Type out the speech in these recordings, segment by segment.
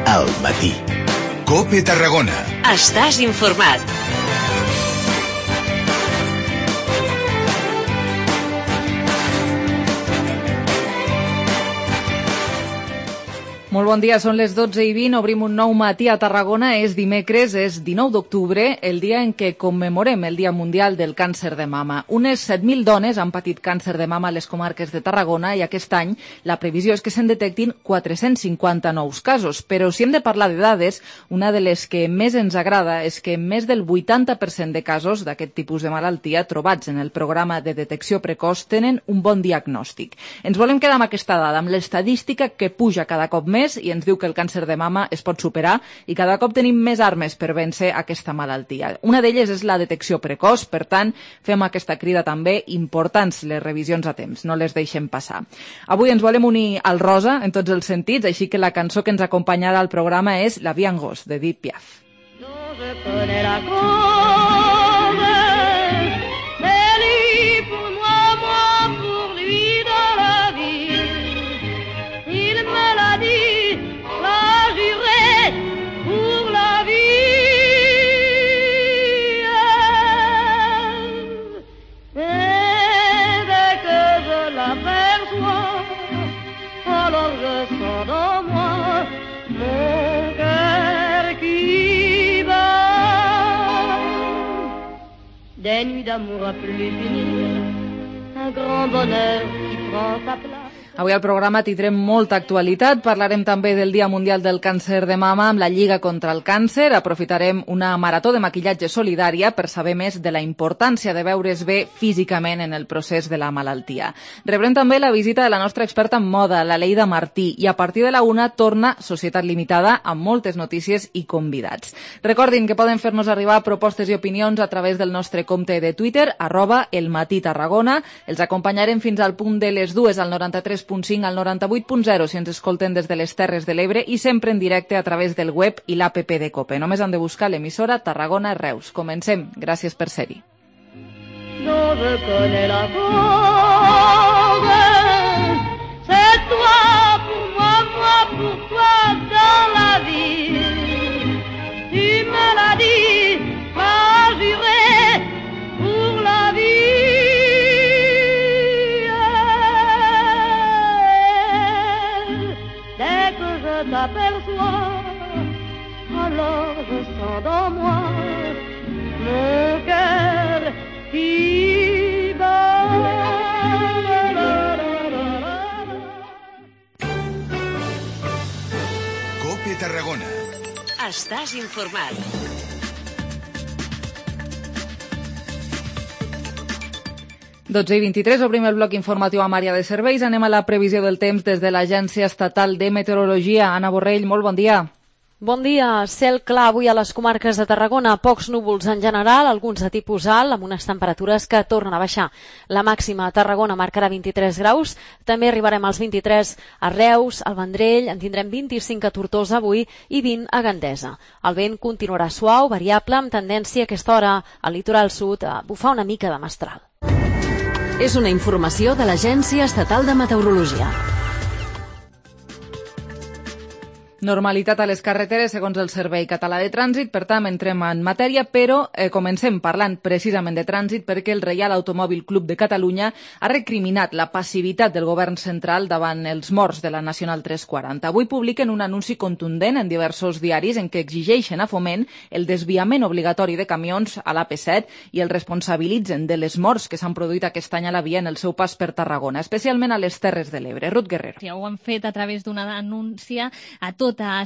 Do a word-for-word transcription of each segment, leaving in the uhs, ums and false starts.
al matí. COPE Tarragona. Estàs informat. Molt bon dia, són les dotze i vint, obrim un nou matí a Tarragona, és dimecres, és dinou d'octubre, el dia en què commemorem el Dia Mundial del Càncer de Mama. Unes set mil dones han patit càncer de mama a les comarques de Tarragona i aquest any la previsió és que se'n detectin quatre-cents cinquanta nous casos. Però si hem de parlar de dades, una de les que més ens agrada és que més del vuitanta per cent de casos d'aquest tipus de malaltia trobats en el programa de detecció precoç tenen un bon diagnòstic. Ens volem quedar amb aquesta dada, amb l'estadística que puja cada cop més i ens diu que el càncer de mama es pot superar i cada cop tenim més armes per vèncer aquesta malaltia. Una d'elles és la detecció precoç, per tant, fem aquesta crida també, importants les revisions a temps, no les deixem passar. Avui ens volem unir al rosa en tots els sentits, així que la cançó que ens acompanyarà al programa és La Vie en Gos, de Edith Piaf. Des nuits d'amour à plus finir, un grand bonheur qui prend sa place. Avui al programa tindrem molta actualitat. Parlarem també del Dia Mundial del Càncer de Mama amb la Lliga contra el Càncer. Aprofitarem una marató de maquillatge solidària per saber més de la importància de veure's bé físicament en el procés de la malaltia. Rebrem també la visita de la nostra experta en moda, la Leida Martí, i a partir de la una torna Societat Limitada amb moltes notícies i convidats. Recordin que poden fer-nos arribar propostes i opinions a través del nostre compte de Twitter, arroba el matí Tarragona. Els acompanyarem fins al punt de les dues al noranta-tres punt cinc al noranta-vuit punt zero si ens escolten des de les Terres de l'Ebre i sempre en directe a través del web i l'app de COPE. Només han de buscar l'emissora Tarragona Reus. Comencem. Gràcies per ser-hi. Non, je connais la cause, c'est toi pour moi, moi pour toi dans la vie. Tu me l'as dit, m'as juré pour la vie. Je t'aperçois, alors je sens dans moi mon cœur qui bat. COPE Tarragona. Estàs informat. dotze i vint-i-tres, obrim el bloc informatiu amb àrea de serveis. Anem a la previsió del temps des de l'Agència Estatal de Meteorologia. Anna Borrell, molt bon dia. Bon dia. Cel clar avui a les comarques de Tarragona. Pocs núvols en general, alguns de tipus alt, amb unes temperatures que tornen a baixar. La màxima a Tarragona marcarà vint-i-tres graus. També arribarem als vint-i-tres a Reus, al Vendrell, en tindrem vint-i-cinc a Tortosa avui i vint a Gandesa. El vent continuarà suau, variable, amb tendència a aquesta hora al litoral sud a bufar una mica de mestral. És una informació de l'Agència Estatal de Meteorologia. Normalitat a les carreteres segons el Servei Català de Trànsit, per tant entrem en matèria, però eh, comencem parlant precisament de trànsit perquè el Reial Automòbil Club de Catalunya ha recriminat la passivitat del govern central davant els morts de la Nacional tres quaranta. Avui publiquen un anunci contundent en diversos diaris en què exigeixen a Foment el desviament obligatori de camions a l'A P set i el responsabilitzen de les morts que s'han produït aquest any a la via en el seu pas per Tarragona, especialment a les Terres de l'Ebre. Ruth Guerrero. Ja ho han fet a través d'una denúncia a tot tota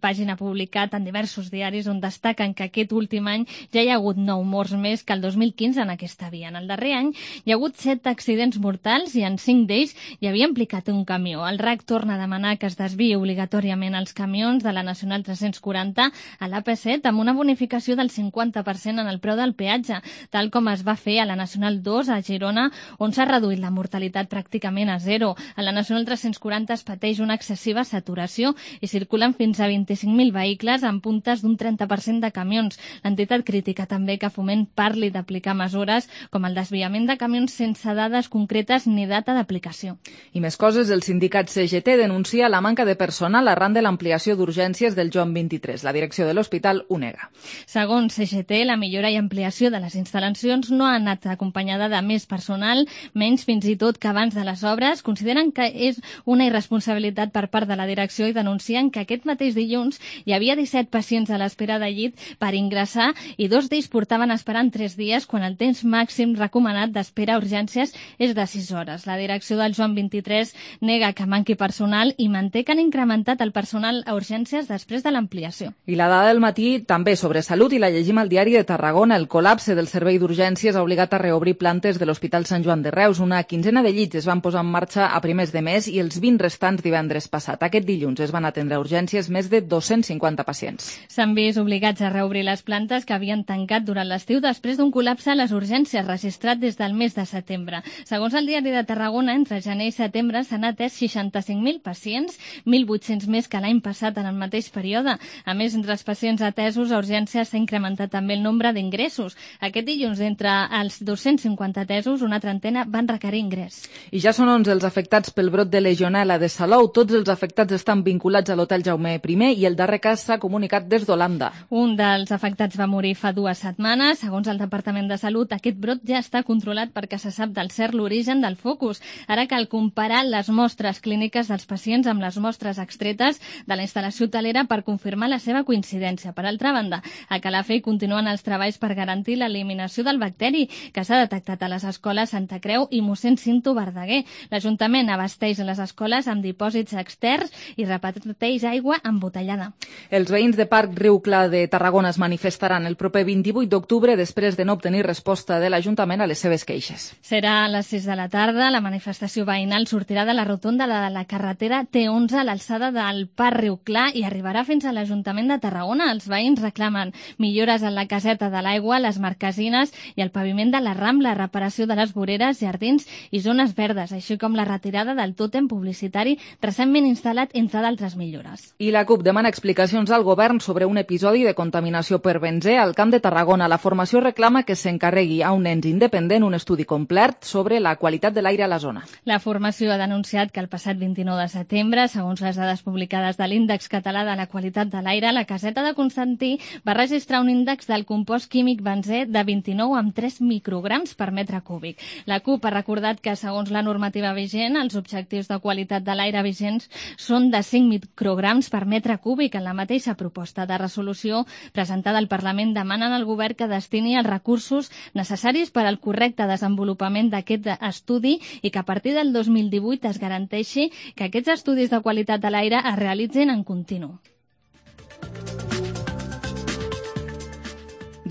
pàgina publicat en diversos diaris on destaquen que aquest últim any ja hi ha hagut nou morts més que el dos mil quinze en aquesta via. En el darrer any hi ha hagut set accidents mortals i en cinc d'ells hi havia implicat un camió. El R A C torna a demanar que es desviï obligatòriament els camions de la Nacional tres quaranta a l'A P set amb una bonificació del cinquanta per cent en el preu del peatge, tal com es va fer a la Nacional dos a Girona, on s'ha reduït la mortalitat pràcticament a zero. A la Nacional tres quaranta es pateix una excessiva saturació i si circulen fins a vint-i-cinc mil vehicles amb puntes d'un trenta per cent de camions. L'entitat critica també que Foment parli d'aplicar mesures com el desviament de camions sense dades concretes ni data d'aplicació. I més coses, el sindicat C G T denuncia la manca de personal arran de l'ampliació d'urgències del Joan vint-i-tres. La direcció de l'hospital ho nega. Segons C G T, la millora i ampliació de les instal·lacions no ha anat acompanyada de més personal, menys fins i tot que abans de les obres. Consideren que és una irresponsabilitat per part de la direcció i denuncien que aquest mateix dilluns hi havia disset pacients a l'espera de llit per ingressar i dos d'ells portaven esperant tres dies quan el temps màxim recomanat d'espera a urgències és de sis hores. La direcció del Joan vint-i-tres nega que manqui personal i manté que han incrementat el personal a urgències després de l'ampliació. I la dada del matí també sobre salut i la llegim al diari de Tarragona. El col·lapse del servei d'urgències ha obligat a reobrir plantes de l'Hospital Sant Joan de Reus. Una quinzena de llits es van posar en marxa a primers de mes i els vint restants divendres passat. Aquest dilluns es van atendre a urgències més de dos-cents cinquanta pacients. S'han vist obligats a reobrir les plantes que havien tancat durant l'estiu després d'un col·lapse a les urgències registrat des del mes de setembre. Segons el diari de Tarragona, entre gener i setembre s'han atès seixanta-cinc mil pacients, mil vuit-cents més que l'any passat en el mateix període. A més, entre els pacients atesos a urgències s'ha incrementat també el nombre d'ingressos. Aquest dilluns, entre els dos-cents cinquanta atesos, una trentena van requerir ingrés. I ja són onze els afectats pel brot de legionel·la de Salou. Tots els afectats estan vinculats a l'Hotel Jaume I i el darrer cas s'ha comunicat des d'Holanda. Un dels afectats va morir fa dues setmanes. Segons el Departament de Salut, aquest brot ja està controlat perquè se sap del cert l'origen del focus. Ara cal comparar les mostres clíniques dels pacients amb les mostres extretes de la instal·lació hotelera per confirmar la seva coincidència. Per altra banda, a Calafell continuen els treballs per garantir l'eliminació del bacteri que s'ha detectat a les escoles Santa Creu i mossèn Cinto Verdaguer. L'Ajuntament abasteix les escoles amb dipòsits externs i reparteix aigua embotellada. Els veïns de Parc Riu Clar de Tarragona es manifestaran el proper vint-i-vuit d'octubre després de no obtenir resposta de l'Ajuntament a les seves queixes. Serà a les sis de la tarda. La manifestació veïnal sortirà de la rotonda de la carretera T onze a l'alçada del Parc Riu Clar i arribarà fins a l'Ajuntament de Tarragona. Els veïns reclamen millores en la caseta de l'aigua, les marquesines i el paviment de la Rambla, reparació de les voreres, jardins i zones verdes, així com la retirada del tòtem publicitari recentment instal·lat, entre d'altres millores. I la CUP demana explicacions al govern sobre un episodi de contaminació per benzè al Camp de Tarragona. La formació reclama que s'encarregui a un ens independent un estudi complet sobre la qualitat de l'aire a la zona. La formació ha denunciat que el passat vint-i-nou de setembre, segons les dades publicades de l'Índex Català de la Qualitat de l'Aire, la caseta de Constantí va registrar un índex del compost químic benzè de vint-i-nou amb tres micrograms per metre cúbic. La CUP ha recordat que, segons la normativa vigent, els objectius de qualitat de l'aire vigents són de cinc micrograms per metre cúbic. En la mateixa proposta de resolució presentada al Parlament demanen al govern que destini els recursos necessaris per al correcte desenvolupament d'aquest estudi i que a partir del dos mil divuit es garanteixi que aquests estudis de qualitat de l'aire es realitzin en continu.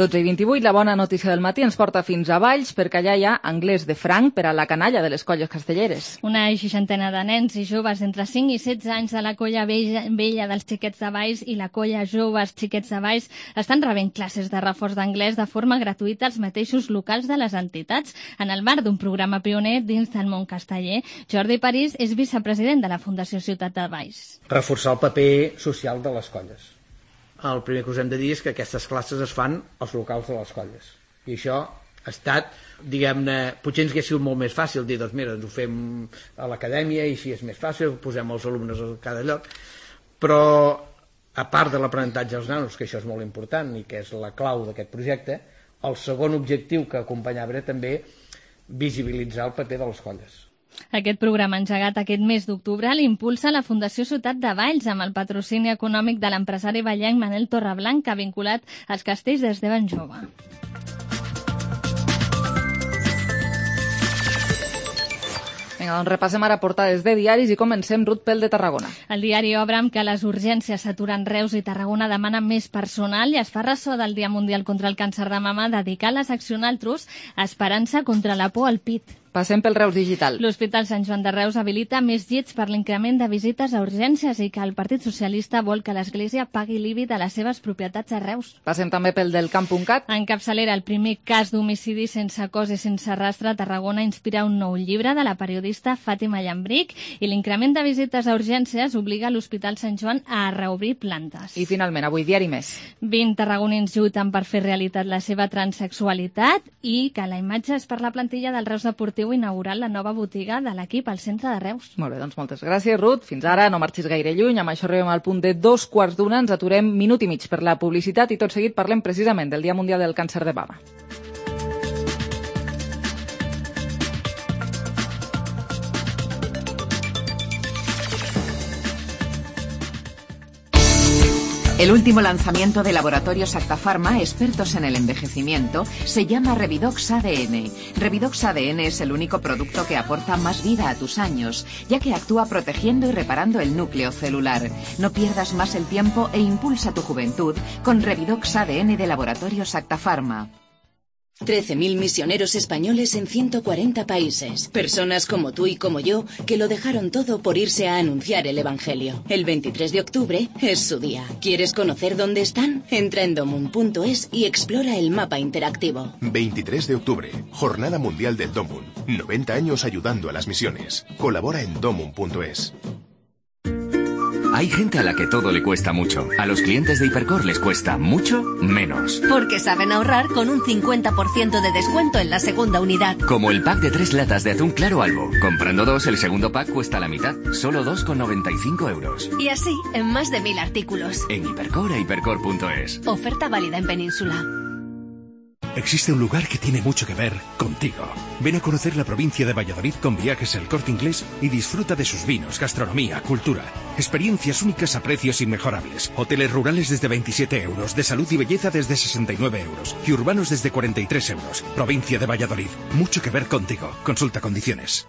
dotze i vint-i-vuit, la bona notícia del matí ens porta fins a Valls perquè allà hi ha anglès de franc per a la canalla de les colles castelleres. Una seixantena de nens i joves entre cinc i setze anys de la colla vella, vella dels xiquets de Valls i la colla joves xiquets de Valls estan rebent classes de reforç d'anglès de forma gratuïta als mateixos locals de les entitats. En el marc d'un programa pioner dins del món casteller, Jordi París és vicepresident de la Fundació Ciutat de Valls. Reforçar el paper social de les colles. El primer que us hem de dir és que aquestes classes es fan als locals de les colles. I això ha estat, diguem-ne, potser ens hauria sigut molt més fàcil dir, doncs mira, ens ho fem a l'acadèmia i així és més fàcil, posem els alumnes a cada lloc, però a part de l'aprenentatge als nanos, que això és molt important i que és la clau d'aquest projecte, el segon objectiu que acompanyava era també visibilitzar el paper de les colles. Aquest programa engegat aquest mes d'octubre l'impulsa la Fundació Ciutat de Valls amb el patrocini econòmic de l'empresari vallenc Manel Torreblanc, que ha vinculat als castells des de ben jove. Vinga, doncs repassem ara portades de diaris i comencem, Ruth, pel de Tarragona. El diari obre amb que les urgències s'aturen Reus i Tarragona demanen més personal i es fa ressò del Dia Mundial contra el Càncer de Mama dedicar la secció Naltros a Esperança contra la por al pit. Passem pel Reus Digital. L'Hospital Sant Joan de Reus habilita més llits per l'increment de visites a urgències i que el Partit Socialista vol que l'Església pagui l'I B I de les seves propietats a Reus. Passem també pel del Camp punt cat. En capçalera, el primer cas d'homicidi sense cos i sense rastre a Tarragona inspira un nou llibre de la periodista Fàtima Llambric i l'increment de visites a urgències obliga l'Hospital Sant Joan a reobrir plantes. I finalment, avui diari Més. vint tarragonins lluiten per fer realitat la seva transsexualitat i que la imatge és per la plantilla del Reus Deportiu inaugurant la nova botiga de l'equip al centre de Reus. Molt bé, doncs moltes gràcies, Ruth. Fins ara, no marxis gaire lluny. Amb això arribem al punt de dos quarts d'una. Ens aturem minut i mig per la publicitat i tot seguit parlem precisament del Dia Mundial del Càncer de Mama. El último lanzamiento de Laboratorios Acta Pharma, expertos en el envejecimiento, se llama Revidox A D N. Revidox A D N es el único producto que aporta más vida a tus años, ya que actúa protegiendo y reparando el núcleo celular. No pierdas más el tiempo e impulsa tu juventud con Revidox A D N de Laboratorios Acta Pharma. trece mil misioneros españoles en ciento cuarenta países. Personas como tú y como yo que lo dejaron todo por irse a anunciar el Evangelio. El veintitrés de octubre es su día. ¿Quieres conocer dónde están? Entra en domun punto es y explora el mapa interactivo. veintitrés de octubre, Jornada Mundial del Domun. noventa años ayudando a las misiones. Colabora en domun punto es. Hay gente a la que todo le cuesta mucho. A los clientes de Hipercor les cuesta mucho menos. Porque saben ahorrar con un cincuenta por ciento de descuento en la segunda unidad. Como el pack de tres latas de atún claro Albo. Comprando dos, el segundo pack cuesta la mitad. Solo dos con noventa y cinco euros. Y así, en más de mil artículos. En Hipercor e hipercor punto es. Oferta válida en Península. Existe un lugar que tiene mucho que ver contigo. Ven a conocer la provincia de Valladolid con Viajes El Corte Inglés y disfruta de sus vinos, gastronomía, cultura. Experiencias únicas a precios inmejorables. Hoteles rurales desde veintisiete euros, de salud y belleza desde sesenta y nueve euros y urbanos desde cuarenta y tres euros. Provincia de Valladolid. Mucho que ver contigo. Consulta condiciones.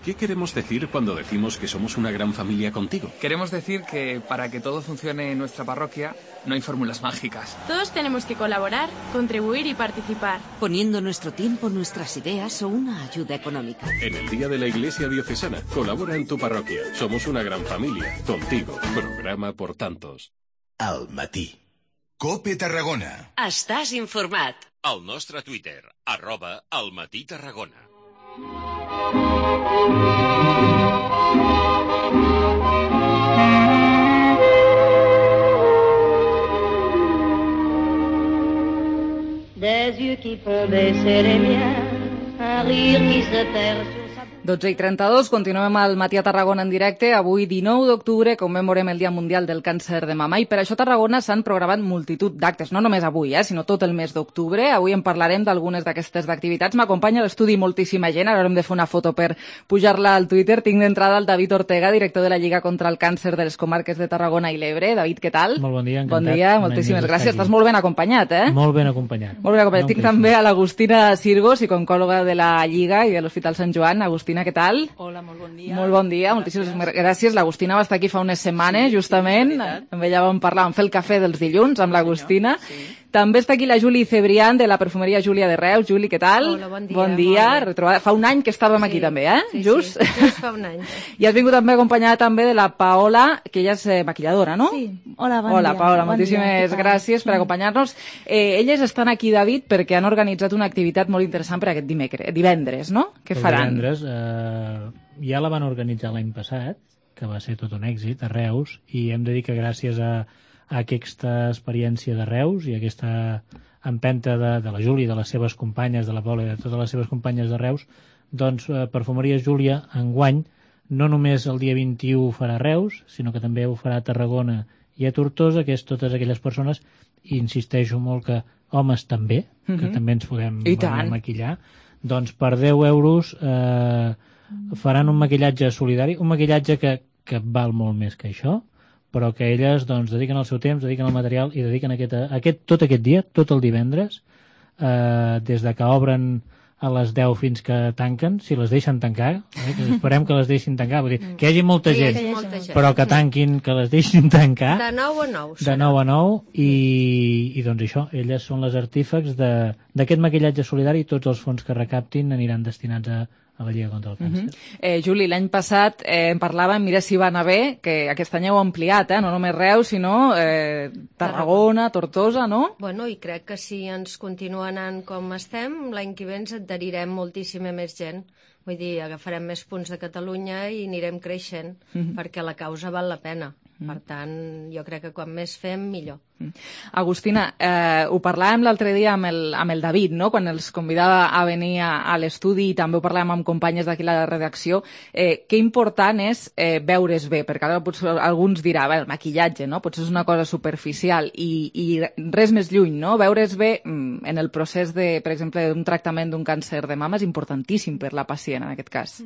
¿Qué queremos decir cuando decimos que somos una gran familia contigo? Queremos decir que para que todo funcione en nuestra parroquia no hay fórmulas mágicas. Todos tenemos que colaborar, contribuir y participar. Poniendo nuestro tiempo, nuestras ideas o una ayuda económica. En el Día de la Iglesia Diocesana, colabora en tu parroquia. Somos una gran familia. Contigo. Programa por tantos. Al matí. COPE Tarragona. Estàs informat. Al nostre Twitter, arroba Al matí Tarragona. Des yeux qui font baisser les miens, un rire qui se perd sur sa... dotze i trenta-dos, continuem al Matí a Tarragona en directe. Avui, dinou d'octubre, commemorem el Dia Mundial del Càncer de Mama i per això a Tarragona s'han programat multitud d'actes, no només avui, eh, sinó tot el mes d'octubre. Avui en parlarem d'algunes d'aquestes activitats. M'acompanya a l'estudi moltíssima gent, ara haurem de fer una foto per pujar-la al Twitter. Tinc d'entrada el David Ortega, director de la Lliga contra el Càncer de les Comarques de Tarragona i l'Ebre. David, què tal? Molt bon dia, encantat. Bon dia, moltíssimes gràcies. Estàs molt ben acompanyat, eh? Molt ben acompanyat. Molt ben acompanyat. Tinc també a l'Agustina Sirgo, psicòloga de la Lliga i de l'Hospital Sant Joan. Agustina, què tal? Hola, molt bon dia. Molt bon dia, moltíssimes gràcies. L'Agustina va estar aquí fa unes setmanes, justament. Amb ella vam parlar, vam fer el cafè dels dilluns amb l'Agustina. Sí. També està aquí la Juli Cebrián, de la perfumeria Júlia de Reus. Juli, què tal? Hola, bon dia. Bon dia. Retrobada. Fa un any que estàvem sí. aquí també, eh? Sí, just? Sí, just fa un any. I has vingut també acompanyada també de la Paola, que ella és eh, maquilladora, no? Sí. Hola, bon Hola, dia. Paola, bon moltíssimes dia. gràcies per acompanyar-nos. Eh, elles estan aquí, David, perquè han organitzat una activitat molt interessant per aquest dimecres, divendres, no? Què El faran? Divendres, eh, ja la van organitzar l'any passat, que va ser tot un èxit a Reus, i hem de dir que gràcies a, a aquesta experiència de Reus i a aquesta empenta de, de la Júlia i de les seves companyes, de la Paula i de totes les seves companyes de Reus, doncs eh, Perfumeria Júlia enguany no només el dia vint-i-u ho farà a Reus, sinó que també ho farà a Tarragona i a Tortosa, que és totes aquelles persones, i insisteixo molt que homes també, Mm-hmm. que també ens podem I tant. maquillar, doncs per deu euros eh, faran un maquillatge solidari, un maquillatge que, que val molt més que això, però que elles doncs, dediquen el seu temps, dediquen el material i dediquen aquest, aquest, tot aquest dia, tot el divendres, eh, des de que obren a les deu fins que tanquen, si les deixen tancar, eh? Que esperem que les deixin tancar, vull dir, que hi hagi molta Que hi gent, hagi molta gent. però que tanquin, que les deixin tancar, De nou a nou. de nou a nou, i, i doncs això, elles són les artífecs de- d'aquest maquillatge solidari, i tots els fons que recaptin aniran destinats a, a la Lliga contra el Càncer. Uh -huh. eh, Juli, l'any passat eh, en parlàvem, mira si va anar bé, que aquest any heu ampliat, eh? No només Reus, sinó eh, Tarragona, Tortosa, no? Bueno, i crec que si ens continua anant com estem, l'any que ve ens adherirem moltíssima més gent. Vull dir, agafarem més punts de Catalunya i anirem creixent, Mhm. perquè la causa val la pena. Mhm. Per tant, jo crec que quan més fem, millor. Agustina, eh, ho parlàvem l'altre dia amb el, amb el David, no? Quan els convidava a venir a, a l'estudi, i també ho parlàvem amb companyes d'aquí a la redacció, eh, que important és eh, veure's bé, perquè ara potser alguns dirà, bé, el maquillatge, no? Potser és una cosa superficial, i, i res més lluny, no? Veure's bé mm, en el procés, de, per exemple, d'un tractament d'un càncer de mama és importantíssim per la pacient, en aquest cas.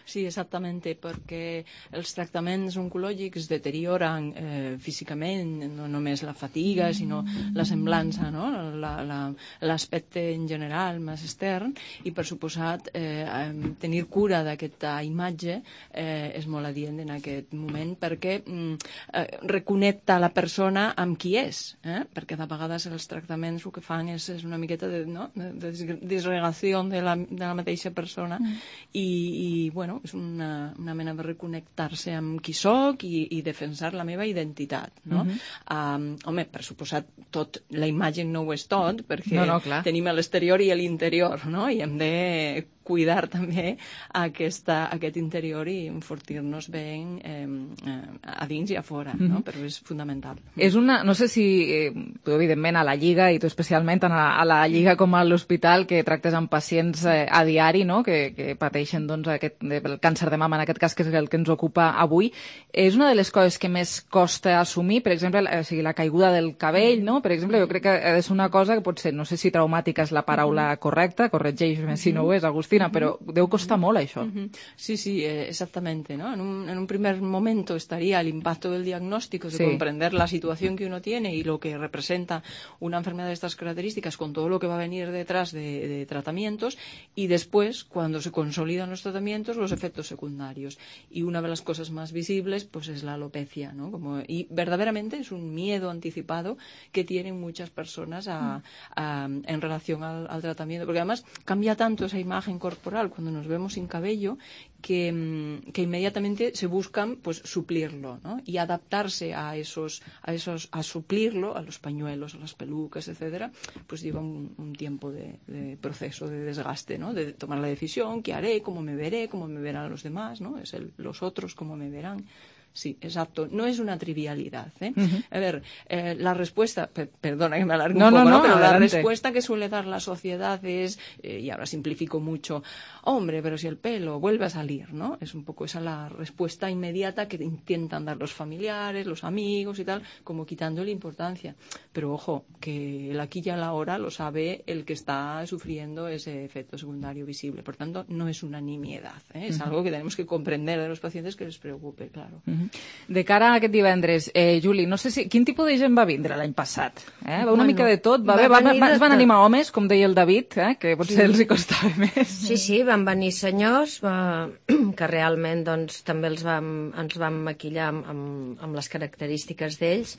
Sí, exactamente, perquè els tractaments oncològics deterioren eh, físicament no només la fatiga, sinó la semblança, no? La- la- l'aspecte en general més extern, i per suposat eh, em, tenir cura d'aquesta imatge eh, és molt adient en aquest moment, perquè mm, eh, reconnecta la persona amb qui és, eh? Perquè de vegades els tractaments el que fan és, és una miqueta de, no? de, de disgregació de la, de la mateixa persona, Mm. i, i bueno, és una, una mena de reconnectar-se amb qui sóc i, i defensar la meva identitat, no? Mhm. um, home, per suposat, tot, la imatge no ho és tot, perquè No, no, clar. tenim l'exterior i l'interior, no? I hem de cuidar també aquesta, aquest interior i enfortir-nos bé eh, eh, a dins i a fora, no? Mhm. Però és fundamental. És una, no sé si, eh, tu evidentment a la Lliga, i tu especialment a la, a la Lliga com a l'hospital, que tractes amb pacients eh, a diari, no? que, que pateixen doncs, aquest, el càncer de mama, en aquest cas, que és el que ens ocupa avui, és una de les coses que més costa assumir, per exemple, la, o sigui, la caiguda del cabell, no? Per exemple, jo crec que ha de ser una cosa que pot ser, no sé si traumàtica és la paraula correcta, corregeix-me si no ho és, Agustina, però deu costar molt això. Ujú. Sí, sí, eh, exactamente, ¿no? En un, en un primer momento estaría el impacto del diagnóstico, de Sí. comprender la situación que uno tiene y lo que representa una enfermedad de estas características con todo lo que va a venir detrás de, de tratamientos, y después, cuando se consolidan los tratamientos, los efectos secundarios. Y una de las cosas más visibles, pues es la alopecia, ¿no? Como, y verdaderamente es un miedo anticipado que tienen muchas personas a, a, en relación al, al tratamiento, porque además cambia tanto esa imagen corporal cuando nos vemos sin cabello que, mm, que inmediatamente se buscan pues suplirlo, ¿no? Y adaptarse a esos, a esos, a suplirlo, a los pañuelos, a las pelucas, etcétera, pues lleva un, un tiempo de, de proceso de desgaste, ¿no? De tomar la decisión, qué haré, cómo me veré, cómo me verán los demás, ¿no? Es el, los otros cómo me verán. Sí, exacto. No es una trivialidad, ¿eh? Ujú. A ver, eh, la respuesta, per- perdona que me alargue No, un no, poco, ¿no? no, Pero la adelante. respuesta que suele dar la sociedad es, eh, y ahora simplifico mucho, hombre, pero si el pelo vuelve a salir, ¿no? Es un poco esa la respuesta inmediata que intentan dar los familiares, los amigos y tal, como quitándole importancia. Pero ojo, que el aquí y el ahora lo sabe el que está sufriendo ese efecto secundario visible. Por tanto, no es una nimiedad, ¿eh? Es Ujú. algo que tenemos que comprender de los pacientes, que les preocupe, claro. Mhm. De cara a aquest divendres, eh, Juli, no sé si... Quin tipus de gent va vindre l'any passat? Eh? Va una Bueno, mica de tot? Va, va haver, va, venir va, de es van tot. animar homes, com deia el David, eh? Que potser Sí. els hi costava més. Sí, sí, van venir senyors va, que realment doncs, també els vam, ens vam maquillar amb, amb, amb les característiques d'ells,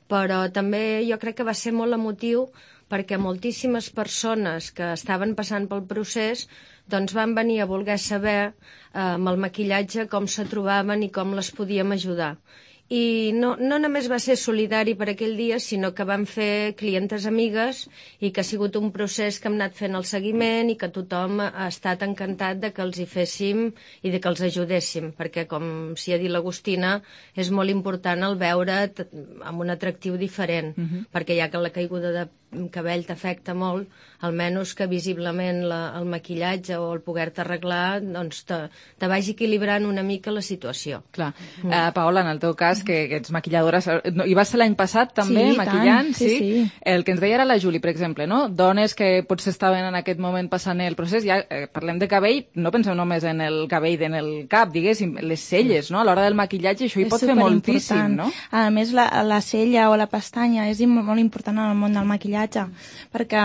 però també jo crec que va ser molt emotiu perquè moltíssimes persones que estaven passant pel procés doncs van venir a voler saber eh, amb el maquillatge com se trobaven i com les podíem ajudar. I no, no només va ser solidari per aquell dia, sinó que vam fer clientes amigues i que ha sigut un procés que hem anat fent el seguiment i que tothom ha estat encantat de que els hi féssim i de que els ajudéssim, perquè, com s'hi ha dit l'Agustina, és molt important el veure t- amb un atractiu diferent, Mhm. perquè ja que la caiguda de cabell t'afecta molt, almenys que visiblement la, el maquillatge o el poder-te arreglar doncs te, te vagi equilibrant una mica la situació. Clar. Eh, Paola, en el teu cas, que, que ets maquilladora, no, hi vas ser l'any passat també, Sí, i maquillant? tant, sí, sí. El que ens deia era la Juli, per exemple, no? Dones que potser estaven en aquest moment passant el procés, ja eh, parlem de cabell, no penseu només en el cabell en el cap, diguéssim, les celles, no? A l'hora del maquillatge això hi És pot fer moltíssim, superimportant. no? A més, la, la cella o la pestanya és im- molt important en el món del maquillatge, maquillatge, perquè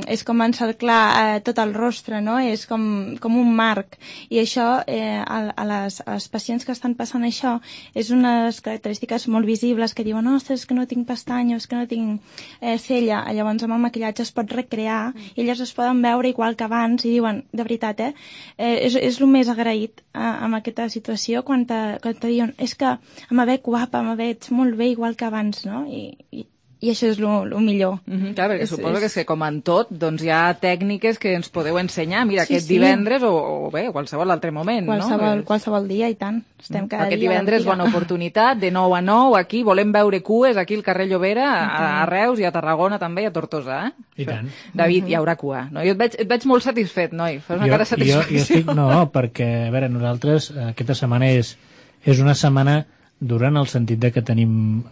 és com encerclar eh, tot el rostre, no? És com, com un marc, i això eh, a, a, les, a les pacients que estan passant això és unes característiques molt visibles que diuen, ostres, és que no tinc pestanyes, que no tinc eh, cella. Llavors amb el maquillatge es pot recrear mm. i elles es poden veure igual que abans i diuen, de veritat, eh, eh és, és el més agraït eh, amb aquesta situació quan te, quan te diuen, és que em veig guapa, em veig molt bé igual que abans, no? I, i, i això és el millor. Mm-hmm, clar, perquè és, suposo és... que és que com en tot doncs hi ha tècniques que ens podeu ensenyar, mira, sí, aquest sí. divendres o, o bé, qualsevol altre moment, qualsevol, no? Qualsevol dia, i tant. Estem cada Aquest dia divendres, bona oportunitat, de nou a nou, aquí, volem veure cues, aquí al carrer Llobera, a, a Reus i a Tarragona també, i a Tortosa, eh? I tant. David, hi haurà cua, no? Jo et veig, et veig molt satisfet, noi, fas una jo, cara de satisfacció. Jo, jo estic, no, perquè, a veure, nosaltres, aquesta setmana és, és una setmana dura en el sentit de que tenim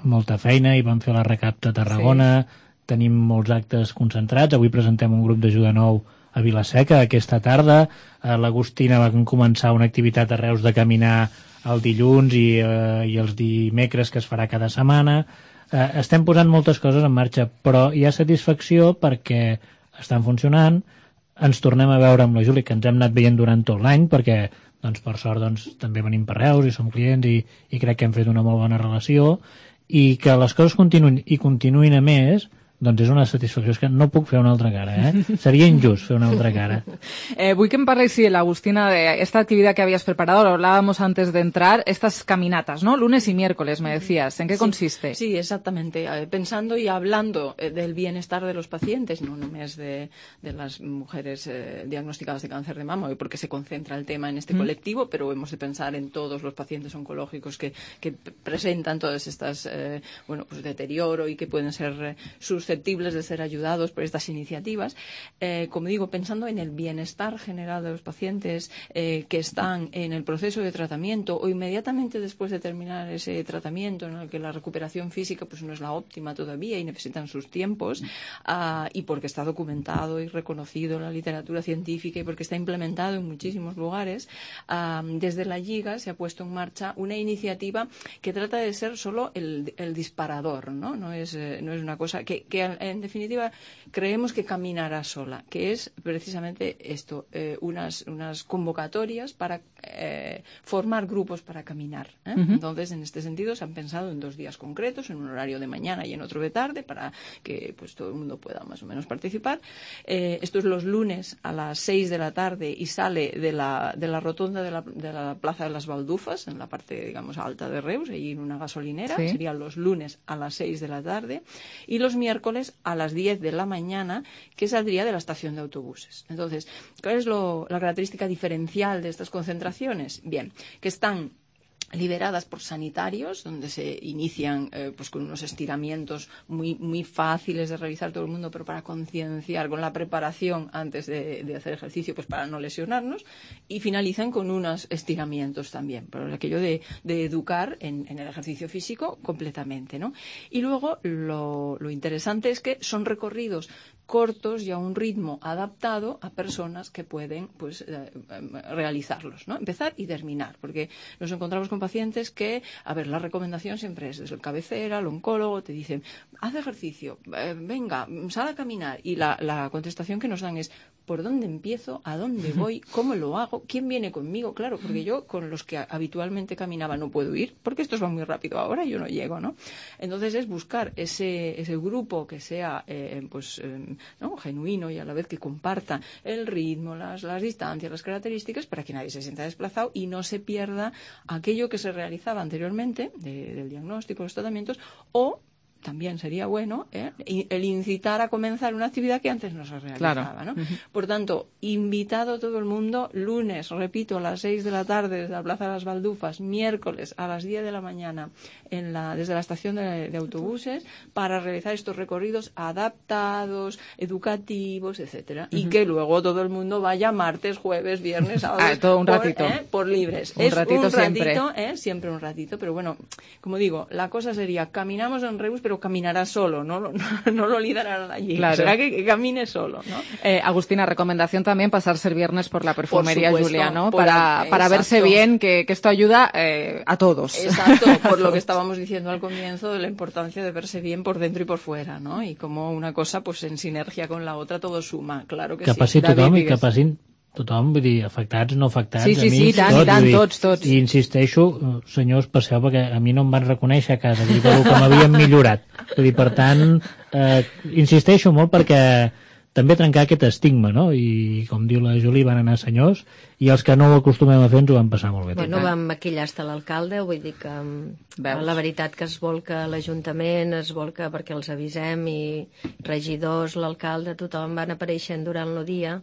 molta feina i vam fer la recapta a Tarragona, sí. Tenim molts actes concentrats, avui presentem un grup d'ajuda nou a Vilaseca aquesta tarda, l'Agustina va començar una activitat a Reus de caminar el dilluns i, eh, i els dimecres que es farà cada setmana. Eh, estem posant moltes coses en marxa, però hi ha satisfacció perquè estan funcionant, ens tornem a veure amb la Júlia, que ens hem anat veient durant tot l'any, perquè doncs, per sort doncs, també venim per Reus i som clients i, i crec que hem fet una molt bona relació, i que les coses continuïn i continuïn a més, doncs és una satisfacció, és que no puc fer una altra cara, eh? Sería injust fer una altra cara. Eh, vull que em parles, sí, Agustina, de esta actividad que habías preparado, lo hablábamos antes de entrar, estas caminatas, ¿no? Lunes y miércoles, me decías. ¿En qué sí, consiste? Sí, exactamente. Pensando y hablando del bienestar de los pacientes, no només de, de las mujeres eh, diagnosticadas de cáncer de mama, hoy porque se concentra el tema en este mm. colectivo, pero hemos de pensar en todos los pacientes oncológicos que, que presentan todas estas, eh, bueno, pues deterioro y que pueden ser eh, susceptibles de ser ayudados por estas iniciativas. Eh, como digo, pensando en el bienestar general de los pacientes eh, que están en el proceso de tratamiento o inmediatamente después de terminar ese tratamiento en el que la recuperación física pues no es la óptima todavía y necesitan sus tiempos uh, y porque está documentado y reconocido en la literatura científica y porque está implementado en muchísimos lugares, uh, desde la Lliga se ha puesto en marcha una iniciativa que trata de ser solo el, el disparador, ¿no? No es, eh, no es una cosa que, que en definitiva creemos que caminará sola, que es precisamente esto, eh, unas, unas convocatorias para eh, formar grupos para caminar. ¿eh? Uh-huh. Entonces, en este sentido, se han pensado en dos días concretos, en un horario de mañana y en otro de tarde, para que pues todo el mundo pueda más o menos participar. Eh, esto es los lunes a las seis de la tarde y sale de la, de la rotonda de la, de la Plaza de las Baldufas, en la parte, digamos, alta de Reus, ahí en una gasolinera. Sí. Serían los lunes a las seis de la tarde y los miércoles a las diez de la mañana, que saldría de la estación de autobuses. Entonces, ¿cuál es lo, la característica diferencial de estas concentraciones? Bien, que están liberadas por sanitarios, donde se inician eh, pues con unos estiramientos muy, muy fáciles de realizar todo el mundo, pero para concienciar, con la preparación antes de, de hacer ejercicio, pues para no lesionarnos, y finalizan con unos estiramientos también, por aquello de, de educar en, en el ejercicio físico completamente, ¿no? Y luego lo, lo interesante es que son recorridos cortos y a un ritmo adaptado a personas que pueden pues eh, realizarlos, ¿no? Empezar y terminar, porque nos encontramos con pacientes que, a ver, la recomendación siempre es desde el cabecera, el oncólogo, te dicen, haz ejercicio, eh, venga, sal a caminar, y la, la contestación que nos dan es, ¿por dónde empiezo? ¿A dónde voy? ¿Cómo lo hago? ¿Quién viene conmigo? Claro, porque yo con los que habitualmente caminaba no puedo ir, porque estos van muy rápido ahora, yo no llego, ¿no? Entonces es buscar ese, ese grupo que sea eh, pues eh, ¿no? genuino y a la vez que comparta el ritmo, las, las distancias, las características, para que nadie se sienta desplazado y no se pierda aquello que se realizaba anteriormente de, del diagnóstico, los tratamientos, o también sería bueno ¿eh? el incitar a comenzar una actividad que antes no se realizaba, claro. ¿no? Uh-huh. Por tanto, invitado todo el mundo, lunes, repito, a las seis de la tarde desde la Plaza de las Baldufas, miércoles a las diez de la mañana en la, desde la estación de, de autobuses, para realizar estos recorridos adaptados, educativos, etcétera, uh-huh. y que luego todo el mundo vaya martes, jueves, viernes, sábado, ah, todo un por, ratito. ¿eh? por libres. Un es ratito un siempre. ratito, ¿eh? siempre un ratito, pero bueno, como digo, la cosa sería, caminamos en Reus, pero lo caminará solo, no, no, no lo liderará allí, claro. será que, que camine solo, ¿no? Eh, Agustina, recomendación también pasarse el viernes por la perfumería por supuesto, Julia, ¿no? por Para, el, para verse bien, que, que esto ayuda eh, a todos. Exacto, por lo que estábamos diciendo al comienzo de la importancia de verse bien por dentro y por fuera, ¿no? Y como una cosa, pues en sinergia con la otra, todo suma, claro que, que sí. passi tothom i que passin tothom, vull dir, afectats, no afectats, sí, sí, amics, sí, tant, tots, i tant, dir, tots, tots. I insisteixo, senyors, passeu, perquè a mi no em van reconèixer a casa, vull dir, pel que m'havien millorat. Vull dir, per tant, eh, insisteixo molt perquè també trencar aquest estigma, no? I, com diu la Juli, van anar senyors, i els que no ho acostumem a fer ens ho van passar molt bé. Bueno, vam maquillar hasta l'alcalde, vull dir que Veus? La veritat que es volca l'Ajuntament, es volca perquè els avisem, i regidors, l'alcalde, tothom van apareixent durant el dia,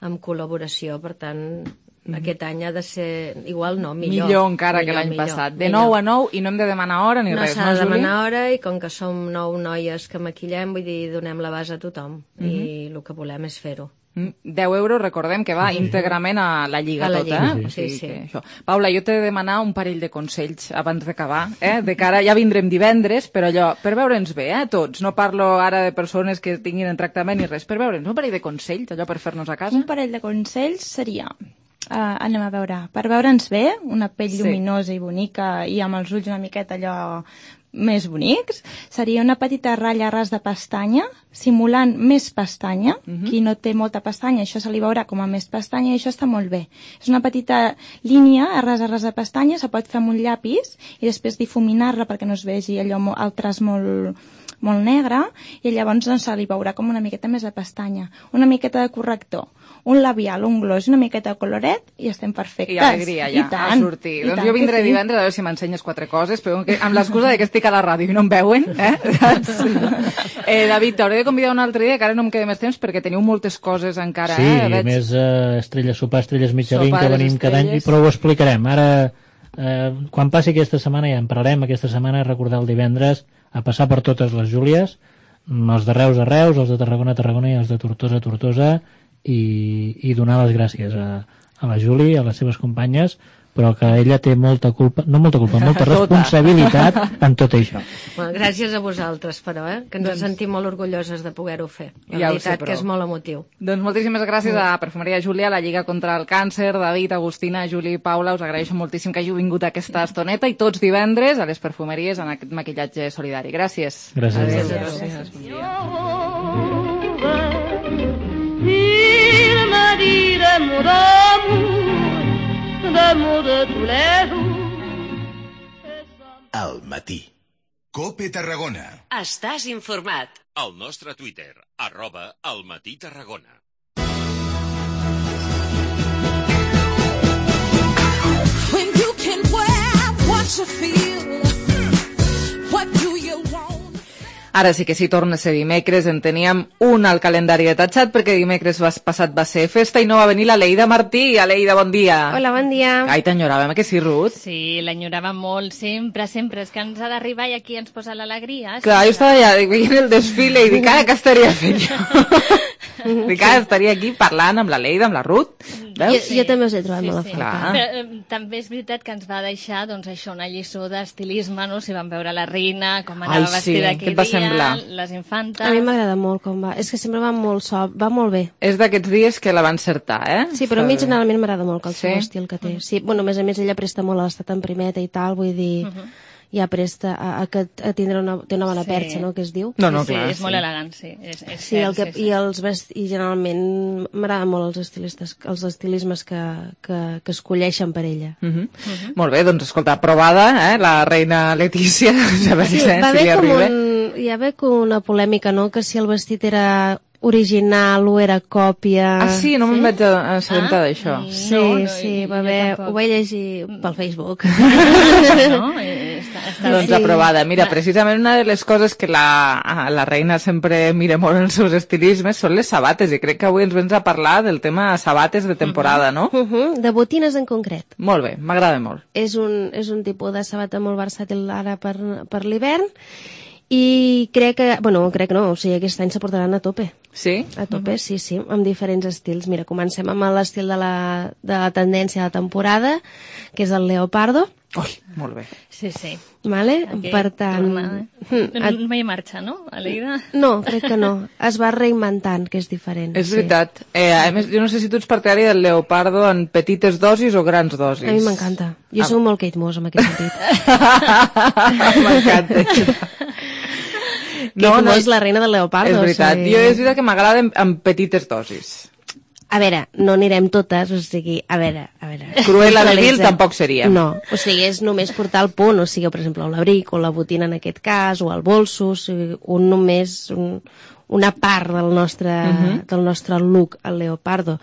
amb col·laboració, per tant, mm. aquest any ha de ser igual, no, millor. Millor encara millor, que l'any passat. De nou a nou, i no hem de demanar hora ni no res, no, no, s'ha de demanar hora, i com que som nou noies que maquillem, vull dir, donem la base a tothom, mm -hmm. i el que volem és fer-ho. deu euros, recordem que va íntegrament a la Lliga, a la tota, Lliga. eh? Sí, sí, sí. Que això. Paula, jo t'he de demanar un parell de consells abans d'acabar, eh? De cara, ja vindrem divendres, però allò, per veure'ns bé, eh, tots, no parlo ara de persones que tinguin en tractament ni res, per veure'ns, un parell de consells, allò per fer-nos a casa? Un parell de consells seria, uh, anem a veure, per veure'ns bé, una pell sí. lluminosa i bonica, i amb els ulls una miqueta allò més bonics, seria una petita ratlla a ras de pestanya, simulant més pestanya. Uh-huh. Qui no té molta pestanya, això se li veurà com a més pestanya, i això està molt bé. És una petita línia a ras a ras de pestanya, se pot fer amb un llapis i després difuminar-la perquè no es vegi allò, el traç molt, molt negre, i llavors doncs, se li veurà com una miqueta més de pestanya. Una miqueta de corrector, un labial, un gloss i una miqueta de coloret, i estem perfectes. I alegria ja, tant, a sortir. Doncs tant, jo vindré sí. divendres a veure si m'ensenyes quatre coses, però que, amb l'excusa de que estic a la ràdio i no em veuen, eh? eh David, t'hauré de convidar un altre dia, que ara no em queda més temps, perquè teniu moltes coses encara, sí, eh? Sí, Veig... més eh, estrelles, sopar estrelles Michelin, sopar que venim cada any, però ho explicarem. Ara, eh, quan passi aquesta setmana, ja en parlarem aquesta setmana, recordar el divendres, a passar per totes les Júlies, els de Reus a Reus, els de Tarragona a Tarragona i els de Tortosa a Tortosa, i, i donar les gràcies a, a la Juli, a les seves companyes, però que ella té molta culpa, no molta culpa, molta responsabilitat en tot això. Bueno, gràcies a vosaltres, però, eh? que ens doncs... sentim molt orgulloses de poder-ho fer. La ja veritat sé, que és molt emotiu. Doncs moltíssimes gràcies a Perfumeria Júlia, a la Lliga contra el Càncer, David, Agustina, Juli i Paula, us agraeixo moltíssim que hàgiu vingut a aquesta estoneta, i tots divendres a les perfumeries en aquest maquillatge solidari. Gràcies. Gràcies. Adéu. Gràcies. Bon dia. Il m'a dit des mots d'amour, des mots de tous les jours. Al matí. Cope Tarragona. Estàs informat. Al nostre Twitter, arroba al matí Tarragona. When you can wear what you feel, what do you want? Ara sí que sí, torna a ser dimecres, en teníem un al calendari detatxat, perquè dimecres passat va ser festa i no va venir la Leida Martí. Aleida, bon dia. Hola, bon dia. Ai, t'enyoràvem, que sí, Ruth? Sí, l'enyoràvem molt, sempre, sempre. És que ens ha d'arribar i aquí ens posa l'alegria. Clar, jo estava allà veient el desfile i dic, ara què estaria fent jo? Dic, ara estaria aquí parlant amb la Leida, amb la Ruth. Jo, sí. jo també us he trobat sí, molt a sí. falta. Però, eh, també és veritat que ens va deixar, doncs, això, una lliçó d'estilisme, no? Si vam veure la reina, com anava Ai, sí. vestida aquell dia, semblar? Les infantes... A mi m'agrada molt com va. És que sempre va molt sob, va molt bé. És d'aquests dies que la van encertar, eh? Sí, però a mi generalment m'agrada molt el sí? seu estil que té. Sí, bueno, a més a més ella presta molt a l'estat en primeta i tal, vull dir... Uh -huh. ja presta a, a, a tindre una, té una bona sí. perxa, no?, que es diu. No, no, sí, clar, sí, és sí. molt elegant, sí. És, és sí, cert, el que, sí, sí. I, els vest, i generalment m'agraden molt els estilistes, els estilismes que, que, que escolleixen per ella. Uh -huh. Uh -huh. Molt bé, doncs escolta, aprovada, eh, la reina Letícia, ja va, sí, dir, va si haver com arriba. un, hi va haver com una polèmica, no?, que si el vestit era original o era còpia... Ah, sí? No sí? me'n vaig assabentar ah? d'això. Sí, no, no, sí, va haver, ho vaig llegir pel Facebook. no? Està, està doncs sí. aprovada. Mira, precisament una de les coses que la, la reina sempre mira molt en els seus estilismes són les sabates, i crec que avui ens vens a parlar del tema sabates de temporada, no? Uh -huh. De botines en concret. Molt bé, m'agrada molt. És un, és un tipus de sabata molt versàtil ara per, per l'hivern, I crec que, bueno, crec que no, o sigui, aquest any s'aportaran a tope. Sí? A tope, sí, sí, amb diferents estils. Mira, comencem amb l'estil de, la, de la tendència de la temporada, que és el leopardo. Ui, molt bé. Sí, sí. Vale? Aquí, per tant... torna, eh? no, no hi marxa, no? Aleida? No, crec que no. Es va reinventant, que és diferent. És sí. veritat. Eh, a més, jo no sé si tu ets partidari del leopardo en petites dosis o grans dosis. A mi m'encanta. Jo ah. soc molt Kate Moss, en aquest sentit. M'encanta. No, Kate Moss, no, la reina del leopardo. És veritat. Sí. Jo és veritat que m'agrada en, en petites dosis. A veure, no anirem totes, o sigui, a veure, a veure... Cruella de Vil tampoc seria. No, o sigui, és només portar el punt, o sigui, per exemple, l'abric o la botina en aquest cas, o el bolso, o sigui, un només, un, una part del nostre, uh-huh. del nostre look, el leopardo.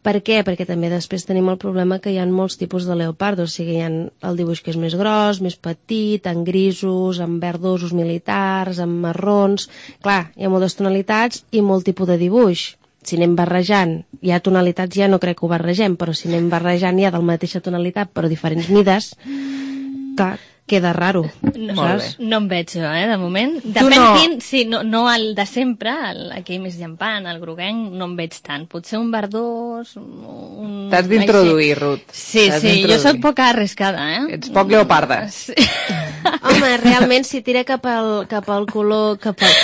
Per què? Perquè també després tenim el problema que hi ha molts tipus de leopardo, o sigui, hi ha el dibuix que és més gros, més petit, en grisos, en verdosos militars, en marrons... Clar, hi ha moltes tonalitats i molt tipus de dibuix. Si anem barrejant, hi ha tonalitats, ja no crec que ho barregem, però si anem barrejant ja de la mateixa tonalitat, però diferents mides, clar, queda raro. No, no em veig jo, eh, de moment. Depèn no. quin, sí, no, no el de sempre, el, aquell més llampant, el groguenc, no em veig tant. Potser un verdós... Un... T'has d'introduir, Ruth. Sí, sí, jo soc poc arriscada, eh? Ets poc leoparda. Sí. Home, realment, si tira cap al, cap al color... Cap al...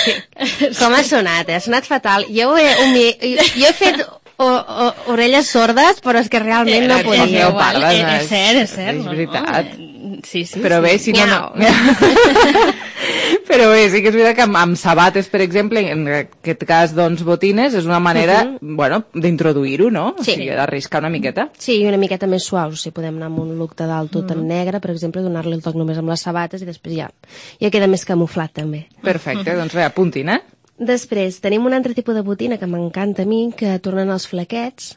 Com ha sonat, eh? Ha sonat fatal. Jo he, humi... jo he fet o, o, orelles sordes, però és que realment no podia. Leoparda, és, és cert, és cert. És veritat. No, no. Sí, sí, però sí. bé, si no, no. Però bé, sí que és veritat que amb, amb sabates, per exemple, en aquest cas, doncs, botines, és una manera, uh -huh. bueno, d'introduir-ho, no? Sí. O sigui, d'arriscar una miqueta. Sí, i una miqueta més suaus, o sigui, podem anar amb un look de dalt tot uh -huh. en negre, per exemple, donar-li el toc només amb les sabates i després ja, ja queda més camuflat, també. Perfecte, uh -huh. doncs bé, apuntin, eh? Després, tenim un altre tipus de botina que m'encanta a mi, que tornen els flequets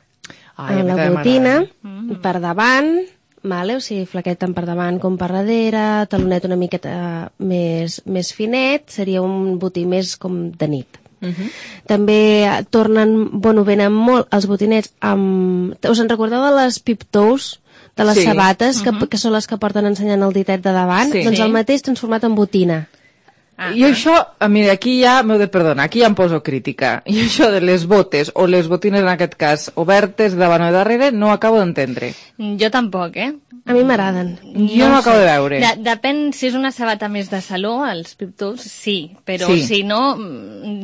Ai, a la botina, per davant... Vale? O sigui, flaquet tant per davant com per darrere, talonet una miqueta més, més finet, seria un botí més com de nit. Uh -huh. També tornen, bueno, venen molt els botinets amb... Us en recordeu de les pip-toes? De les sí. sabates, que, uh -huh. que són les que porten ensenyant el ditet de davant? Sí. Doncs el mateix transformat en botina. Ah, jo això, mira, aquí ja m'heu de perdonar, aquí ja em poso crítica. I això de les botes, o les botines en aquest cas, obertes davant o darrere, no acabo d'entendre. Jo tampoc, eh? A mi m'agraden. Jo no, no acabo de veure. De, depèn si és una sabata més de saló, els pip-toes, sí, però sí. si no,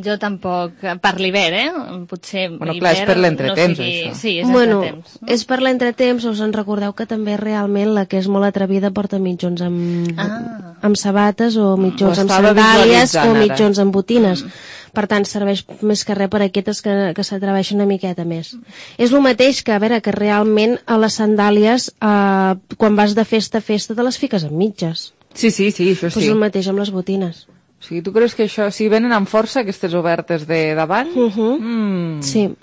jo tampoc, per l'hivern, eh? Potser bueno, clar, és per l'entretemps, no sigui... això. Sí, és bueno, entretemps. No? És per l'entretemps, us en recordeu que també realment la que és molt atrevida porta mitjons amb, ah. amb sabates o mitjons amb sandàlies o mitjons amb botines. Mm. Per tant, serveix més que res per aquestes que, que s'atreveixen una miqueta més. Mm. És el mateix que, a veure, que realment a les sandàlies, eh, quan vas de festa a festa, te les fiques amb mitges. Sí, sí, sí, això sí. Pues el mateix amb les botines. O sigui, tu creus que això, si venen amb força, aquestes obertes de davant? Uh -huh. mm. Sí.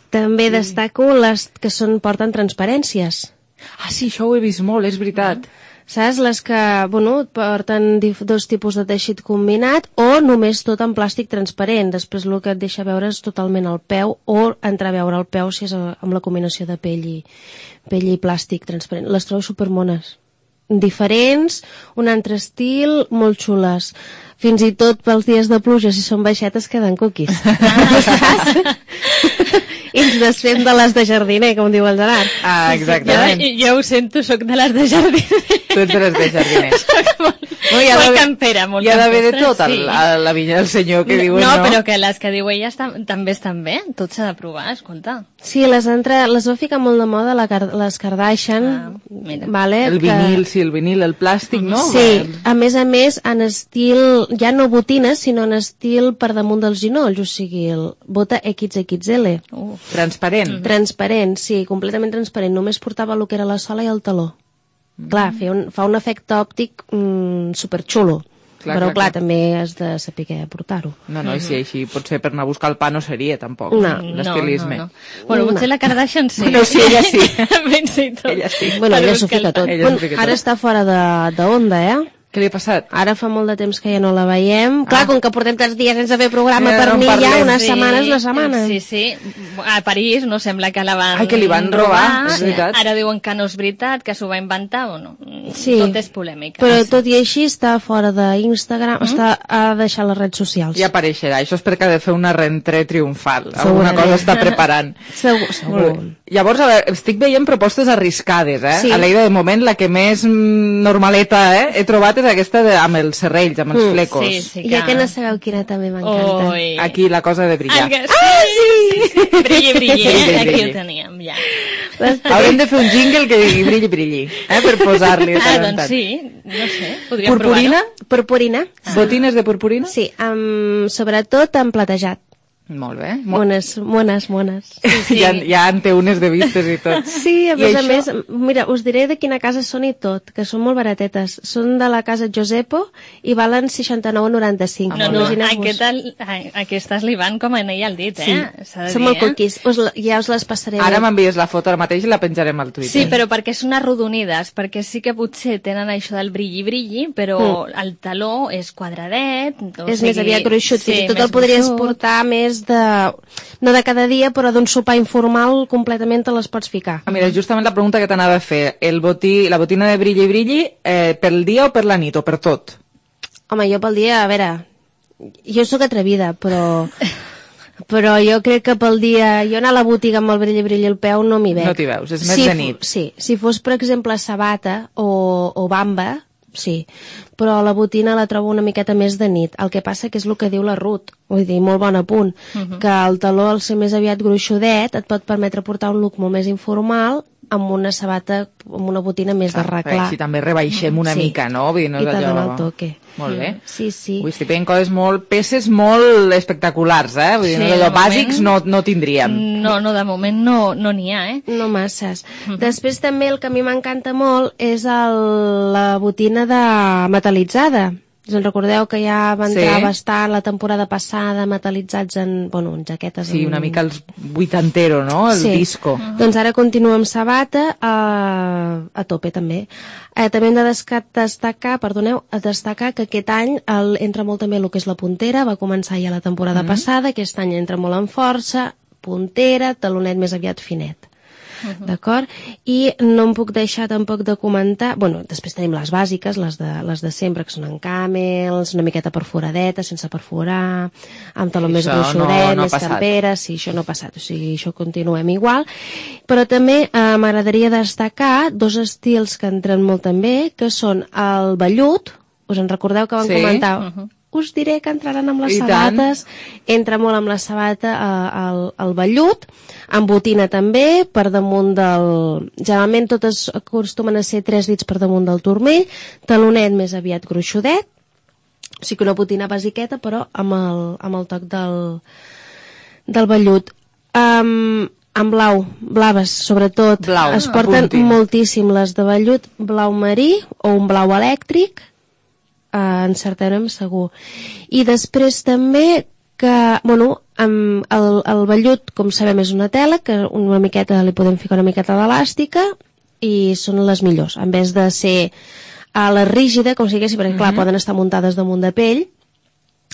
També sí. destaco les que són, porten transparències. Ah, sí, això ho he vist molt, és veritat. Mm. Saps? Les que, bueno, porten dos tipus de teixit combinat o només tot en plàstic transparent. Després el que et deixa veure és totalment el peu o entreveure el peu si és amb la combinació de pell i, pell i plàstic transparent. Les trobo supermones. Diferents, un altre estil, molt xules. Fins i tot pels dies de pluja, si són baixetes, queden cookies. Saps? I ens desfem de les de jardiner, com diu el Gerard. Ah, exactament. Jo, jo ho sento, soc de les de jardiner. Tu ets de les de jardiner. molt no, molt campera, molt campera. Hi ha d'haver de tot, sí. a la vinya del senyor que no, diuen no. No, però que les que diu ella estan, també estan bé. Tot s'ha de provar, escolta. Sí, les, entre, les va ficar molt de moda la, les Kardashian. Ah, vale, el vinil, que... sí, el vinil, el plàstic, no? Sí, a més a més, en estil, ja no botines, sinó en estil per damunt dels ginolls, o sigui, el bota equis equis ele. Uh. Transparent. Mm -hmm. Transparent, sí, completament transparent. Només portava el que era la sola i el taló. Mm. Clar, fa un, fa un efecte òptic mm, superxulo. Clar, però, clar, clar, també has de saber portar-ho. No, no, i si així potser per anar a buscar el pa no seria, tampoc, no. l'estilisme. No, no, no. Bueno, potser la Kardashian sí. Bueno, sí, ella sí. Ben sí, tot. Ella sí. Bueno, ella s'ho fica tot. Bueno, ara està fora de, de onda, eh? Què li ha passat? Ara fa molt de temps que ja no la veiem. Clar, Ah. com que portem tants dies sense fer programa, Ja per no en mi ja parlem. unes Sí, setmanes, una setmana. Sí, sí. A París no sembla que la van Ai, que li van robar, és veritat. Ara diuen que no és veritat, que s'ho va inventar o no. Sí. Tot és polèmica. Però tot i així està fora d'Instagram, mm? està a deixar les redes socials. Ja apareixerà. Això és perquè ha de fer una rentrée triomfal. Segurament. Alguna cosa està preparant. Segur, segur. Molt bé. Llavors, a veure, estic veient propostes arriscades, eh? Sí. A l'Eida, de moment, la que més mm, normaleta eh, he trobat és aquesta de, amb els serrells, amb els Mm. flecos. Sí, sí, ja que no sabeu quina també m'encanta. Oi. Aquí la cosa de brillar. Ah, sí, sí, sí. Brilli, brilli, eh? Brilli, Aquí brilli. ho teníem, ja. Haurem de fer un jingle que digui brilli, brilli, eh? Per posar-li. Ah, doncs sí, no sé, podríem Purpurina? provar-ho. Purpurina. Botines de purpurina? Sí, amb, sobretot amb platejat. Molt bé. Mones, mones, mones. Sí. Ja, ja en té unes de vistes i tot. Sí, a I més a això? més, mira, us diré de quina casa són i tot, que són molt baratetes. Són de la casa Josepo i valen seixanta-nou coma noranta-cinc. No, no, Imagineu-vos. aquest, a- aquestes li van com a anell al dit, Sí, eh? S'ha de són dir, molt eh? cookies. Us, la- ja us les passaré. Ara bé. m'envies la foto ara mateix i la penjarem al Twitter. Sí, però perquè són arrodonides, perquè sí que potser tenen això del brilli-brilli, però Mm. el taló és quadradet. O És sigui, més aviat gruixut, sí, fins i tot més el podries gruixut. portar més de... no de cada dia, però d'un sopar informal completament te les pots ficar. Ah, mira, justament la pregunta que t'anava a fer. El botí, la botina de brilli, brilli, eh, pel dia o per la nit o per tot? Home, jo pel dia, a veure, jo sóc atrevida, però... però jo crec que pel dia... Jo anar a la botiga amb el brilli, brilli al peu no m'hi veig. No t'hi veus, és més si de fo- nit. Sí, si fos, per exemple, sabata o, o bamba, sí, però la botina la trobo una miqueta més de nit. El que passa que és el que diu la Ruth, vull dir, molt bon apunt, Mhm. que el taló, al ser més aviat gruixudet, et pot permetre portar un look molt més informal amb una sabata, amb una botina més de reclar. Així també rebaixem una Sí. mica, no? Vull dir, no I és te allò... dona el toque. Molt bé. Sí, sí. Ui, estic veient coses molt... peces molt espectaculars, eh? Vull dir, Sí, no, de allò moment- bàsics no, no tindríem. No, no, de moment no no n'hi ha, eh? No masses. Després també el que a mi m'encanta molt és el, la botina de metalitzada. Us en recordeu que ja va entrar Sí. bastant la temporada passada metalitzats en, bueno, en jaquetes. Sí, en... una mica els vuitantero, no? El Sí. disco. Doncs ara continua amb sabata a, a tope també. Eh, també hem de desca- destacar, perdoneu, a destacar que aquest any el, entra molt també el que és la puntera, va començar ja la temporada Mhm. passada, aquest any entra molt en força, puntera, talonet més aviat finet. D'acord? I no em puc deixar tampoc de comentar... Bueno, després tenim les bàsiques, les de, les de sempre, que són en camels, una miqueta perforadeta, sense perforar, amb taló I més això gruixudet, no- no ha més passat. camperes, sí, això no ha passat, o sigui, això continuem igual. Però també eh, m'agradaria destacar dos estils que entren molt també, que són el vellut, us en recordeu que vam Sí. comentar... Mhm. Us diré que entraran amb les I tant. sabates, entra molt amb la sabata eh, el, el vellut, amb botina també, per damunt del... Generalment totes acostumen a ser tres dits per damunt del turmell, talonet més aviat gruixudet, o sigui que una botina basiqueta, però amb el, amb el toc del, del vellut. Um, en blau, blaves, sobretot. Blau, es porten apuntin. moltíssim les de vellut, blau marí o un blau elèctric, Uh, encertarem segur. I després també que, bueno, amb el, el vellut, com sabem, és una tela que una miqueta li podem ficar una miqueta d'elàstica i són les millors, en vez de ser a la rígida, com si diguéssim, perquè clar, Mhm. poden estar muntades damunt de pell,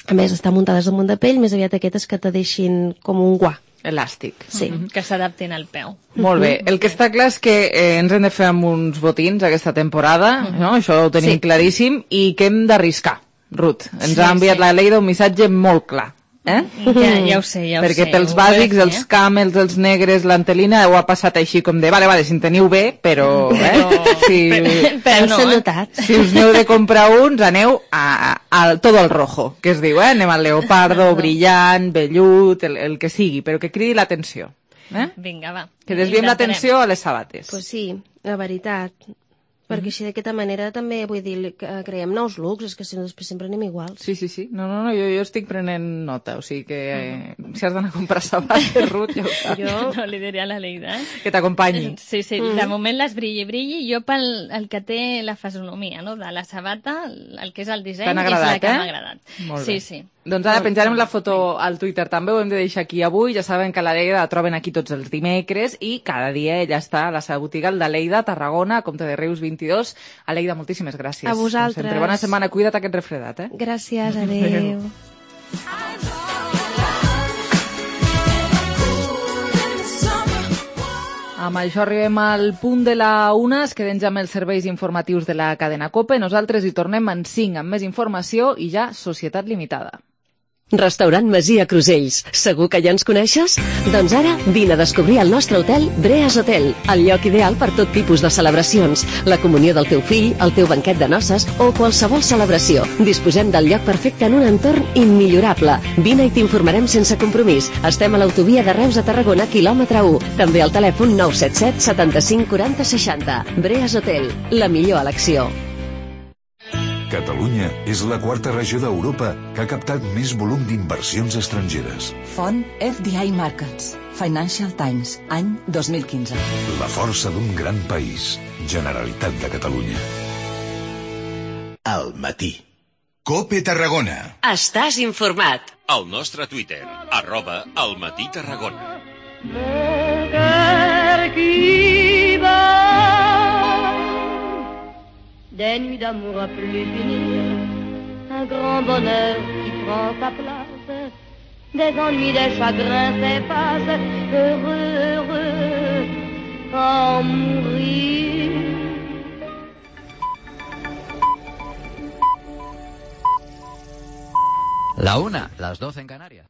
a més d'estar muntades damunt de pell, més aviat aquestes que te deixin com un guà. Elàstic. Sí. Mhm, que s'adaptin al peu. Molt bé. El que està clar és que eh, ens hem de fer amb uns botins aquesta temporada, no? Això ho tenim Sí. claríssim, i que hem d'arriscar, Ruth. Ens Sí, ha enviat sí. la Leida un missatge molt clar. Eh? Ja, ja ho sé, ja ho Perquè sé. pels ho voy a bàsics, fer, els camels, els negres, l'antelina, ho ha passat així com de, vale, vale, si en teniu bé, però, eh? Si, Però, però no, S'ha eh? notat. si us n'heu de comprar uns, aneu a, a, a todo el rojo, que es diu, eh? Anem al leopardo, brillant, vellut, el, el que sigui, però que cridi l'atenció. Eh? Vinga, va. Que desviem Intentarem. l'atenció a les sabates. Pues sí, la veritat. Perquè així d'aquesta manera també, vull dir, que creem nous looks, és que si no després sempre anem iguals. Sí, sí, sí. No, no, no, jo, jo estic prenent nota, o sigui que eh, si has d'anar a comprar sabates, Ruth, ja ho saps. Jo no li diré a la Leida, eh? Que t'acompanyi. Sí, sí, Mm. de moment les brilli, brilli, jo pel el que té la fisonomia, no?, de la sabata, el que és el disseny, T'han és la agradat, que eh? m'ha agradat. Molt Sí, bé. sí. Doncs ara penjarem la foto al Twitter també, ho hem de deixar aquí avui. Ja saben que la Leida la troben aquí tots els dimecres i cada dia ella està a la seva botiga, el de Leida, Tarragona, Comte de Reus vint-i-dos. Aleida, moltíssimes gràcies. A vosaltres. Sempre. Bona setmana, cuida't aquest refredat, eh? Gràcies, adéu. Amb això arribem al punt de la una, es queden ja amb els serveis informatius de la cadena COPE. Nosaltres hi tornem en cinc amb més informació i ja Societat Limitada. Restaurant Masia Crusells. Segur que ja ens coneixes? Doncs ara vine a descobrir el nostre hotel Breas Hotel, el lloc ideal per tot tipus de celebracions, la comunió del teu fill, el teu banquet de noces o qualsevol celebració. Disposem del lloc perfecte en un entorn immillorable. Vine i t'informarem sense compromís. Estem a l'autovia de Reus a Tarragona, quilòmetre u. També al telèfon nou set set setanta-cinc quaranta seixanta. Breas Hotel, la millor elecció. Catalunya és la quarta regió d'Europa que ha captat més volum d'inversions estrangeres. Font F D I Markets. Financial Times, any dos mil quinze. La força d'un gran país. Generalitat de Catalunya. Al matí. COPE Tarragona. Estàs informat. Al nostre Twitter, arroba al matí Tarragona. Mon cœur qui bat, des nuits d'amour à plus finir, un grand bonheur qui prend sa place, des ennuis, des chagrins s'effacent, heureux, heureux, en mourir. La una, las doce en Canarias.